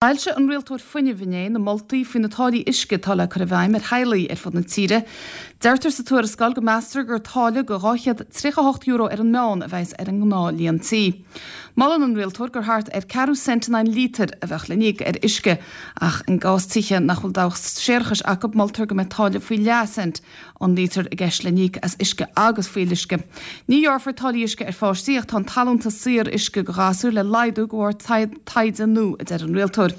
D'fhoilsigh an Rialtóir Fuinnimh inné na moltaí faoi na táillí uisce atá le cur i bhfeidhm ar theaghlaigh ar fud na tíre. Deirtear sa tuarascáil go meastar gur táille de €238 ar an meán a bheas ar an ngnáth líon tí. Molann an Rialtóir gur thart ar ceathrú cent in aghaidh an líotair a bheadh le n-íoc ar uisce, ach in gcás tithe nach bhfuil dabhach séarachais acu moltar go mbeidh táille faoi leath cent an líotar i gceist le n-íoc as uisce agus fuíolluisce. Ní ghearrfar táillí uisce ar pháistí ach tá an t-allúntas saor uisce do ghasúir le laghdú de bharr taighde nua, a deir an rialtóir.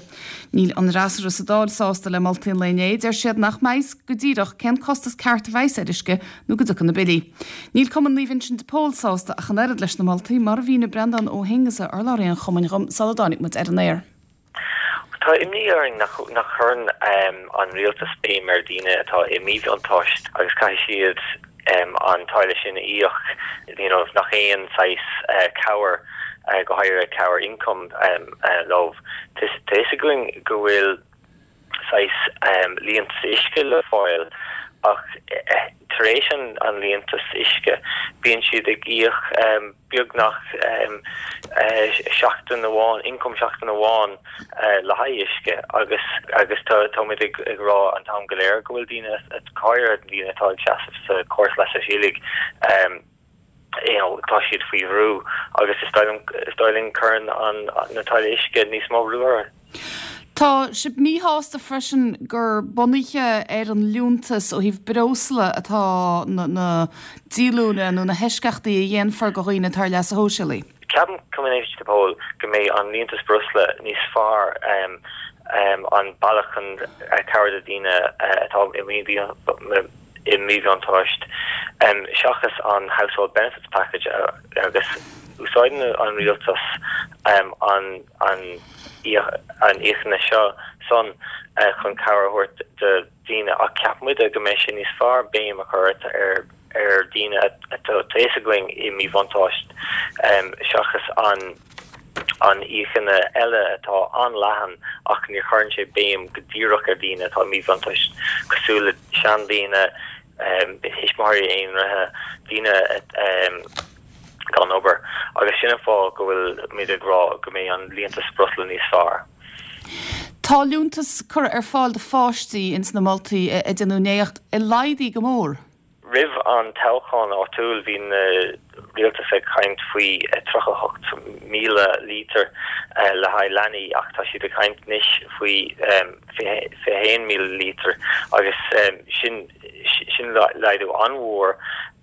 Níl an fhreasúra sa Dáil sásta le moltaí an lae inné. Deir siad nach mbeidh fhios go díreach cén costas ceart a bheas ar uisce nó go dtiocfaidh na billí. Níl Cumann Naomh Uinseann de Pól sásta ach an oiread leis na moltaí, mar a mhínigh Breandán Ó hAonghusa, urlabhraí an chumainn dhom sula dtáinig muid ar an aer. Tá imní orainn nach chuireann an rialtas béim ar daoine atá i míbhuntáiste agus caithfidh siad an táille sin a íoc, you know, nach aon saghas cabhair, go háirithe cabhair ioncaim leo. Tá fhios againn go bhfuil saghas liúntas uisce le fáil ach tar éis an liúntas uisce bíonn siad ag íoc beagnach seachtain amháin, ioncam seachtain amháin le haghaidh uisce agus agus tá táimid ag ag rá an t-am go léir go bhfuil daoine, go háirithe daoine atá ag seasamh sa chóras leasa shóisialaigh, you know, tá siad faoi bhrú agus is dóigh liom is dóigh linn cuireann an na táillí uisce níos mó brú orthu. Tá sibh míshásta freisin gur bunaithe ar an liúntas ó thaobh breosla atá na díolúine nó na heisceachtaí a dhéanfar do dhaoine atá ar leasa shóisialaigh. Ceapann Cumann Naomh Uinseann de Pól go mbeidh an liúntas breosla níos fearr an bealach chun cabhair do dhaoine atá i míbhuntáiste seachas an Household Benefits Package agus úsáideann an rialtas an an íocanna seo san chun cabhair a thabhairt do dhaoine ach ceapann muide go mbeidh sé níos fearr béim a chur ar ar dhaoine atá a fhios againn i míbhuntáiste seachas an an íocanna eile atá an-leathan ach ní chuireann sé béim go díreach ar dhaoine atá i míbhuntáiste cosúil le seandaoine, thuismitheoirí aonraithe, daoine gan obair agus sin an fáth go bhfuil muid ag rá go mbeidh an liúntas breosla níos fearr. Tá liúntas curtha ar fáil do pháistí ins na moltaí a déanadh inné ach laghdaithe go mór. Roimh an toghchán áitiúil bhí na rialtas ag caint faoi 38,000 lítear le haghaidh leanaí ach tá siad ag caint anois faoi 21,000 lítear agus sin sin laghdú an-mhór.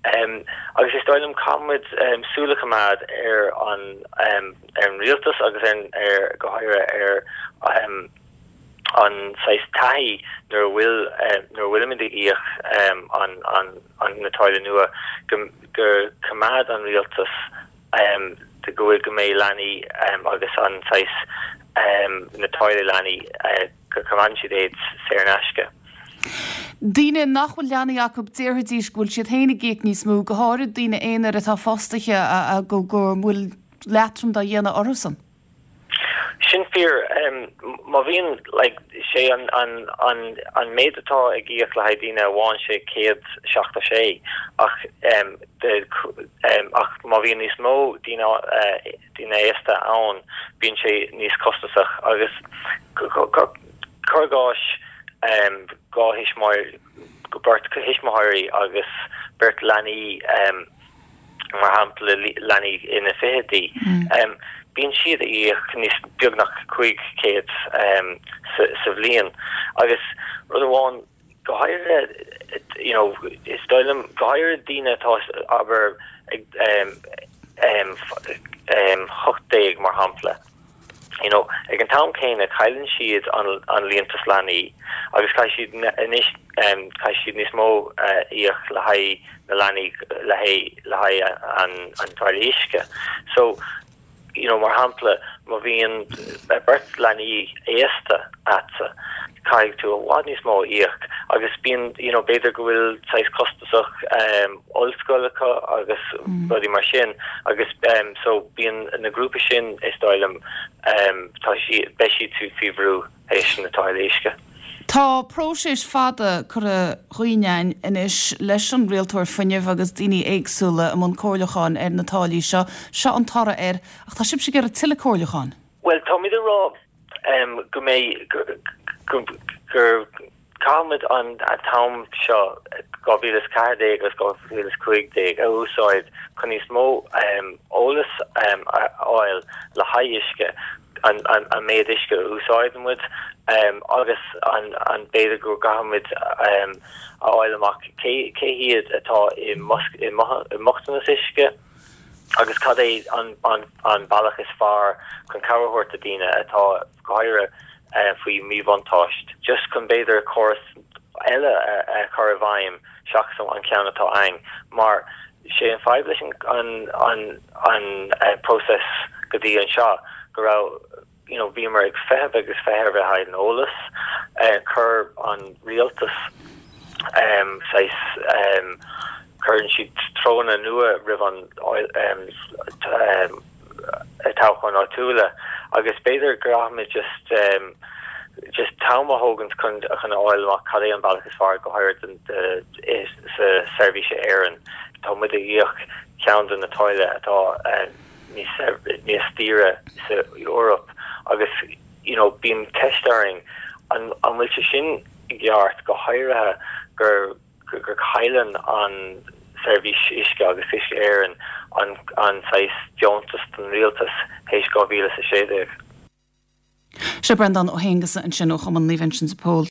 Agus is dóigh liom caithfimid súil a choimeád ar an ar an rialtas agus ar ar go háirithe ar an saghas taithí nuair a bhfuil nuair a bhfuilimid ag íoc an an an na táille nua go go coimeád an rialtas go bhfuil go mbeidh leanaí agus an saghas na táille leanaí go coimeádann siad iad saor in aisce. Daoine nach bhfuil leanaí acu, déarfaidís go bhfuil siad féin ag íoc níos mó, go háirid daoine aonair atá fostaithe go bhfuil leatrom dá dhéanamh orthusan. Sin fíor. Má bhíonn, like, sé an, an, an, an méid atá ag íoc le haghaidh daoine amháin sé 176 ach, de, ach má bhíonn níos mó daoine, daoine aosta ann bíonn sé níos costasach agus cuir i gcás 2 thuismitheoir, beirt thuismitheoirí agus beirt leanaí, mar shampla leanaí ina fichidí, bíonn siad ag íoc níos beagnach 500 sa bhliain. Agus rud amháin, go háirithe, you know, is dóigh liom, go háirithe daoine atá, abair, ag 18 mar shampla, you know, ag an t-am céanna cailleann siad an an liúntas leanaí agus caithfidh siad anois caithfidh siad níos mó a íoc le haghaidh na leanaí le haghaidh le haghaidh an an táille uisce. So, you know, mar shampla, má bhíonn beirt leanaí aosta a'dsa, caithfidh tú i bhfad níos mó a íoc agus bíonn, you know, b'fhéidir go bhfuil saghas costasach ollscoil acu agus rudaí mar sin agus so bíonn na grúpa sin is dóigh liom tá siad, beidh siad faoi bhrú théis na táille uisce. Tá próiseas fada curtha chugainn anois leis an Rialtóir Fuinnimh agus daoine éagsúla i mbun comhairliúcháin ar na táillí seo. Seo an toradh air, ach tá sibhse ag iarraidh tuilleadh comhairliúcháin. Bhuel, táimid ag rá. go mbeidh gur caithfimid an t-am seo, 2014 agus 2015, a úsáid chun níos mó eolas a fháil le haghaidh uisce, an méid uisce a úsáideann muid agus an b'fhéidir go gcaithfimid a fháil amach cé hiad atá i mbochtanas uisce. Agus cad é an bealach is fearr chun cabhair a thabhairt do daoine atá, go háirithe, faoi mhíbhuntáiste? Just chun b'fhéidir córas eile a chur i bhfeidhm seachas an ceann atá ann. Mar sé an fadhb leis an próiseas go dtí anseo go raibh, you know, bhíomar ag feitheamh agus feitheamh le haghaidh an eolas. Chuir an rialtas saghas, cuireann siad treoranna nua roimh an toghcháin áitiúla agus b'fhéidir go gcaithfimid just just t-am a thógaint chun chun a fháil amach cad é an bealach is fearr go háirithe sa Seirbhís Éireann. Tá muid ag íoc ceann de na táille atá níos daoire sa Eoraip agus you know bíonn ceist orainn an an bhfuil sé sin i gceart go háirithe gur gur cailleann an seirbhís uisce agus Uisce Éireann an an saghas deontas don rialtas théis 2016. Sé Breandán Ó hAonghusa ansin ó Chumann Naomh Uinseann de Pól.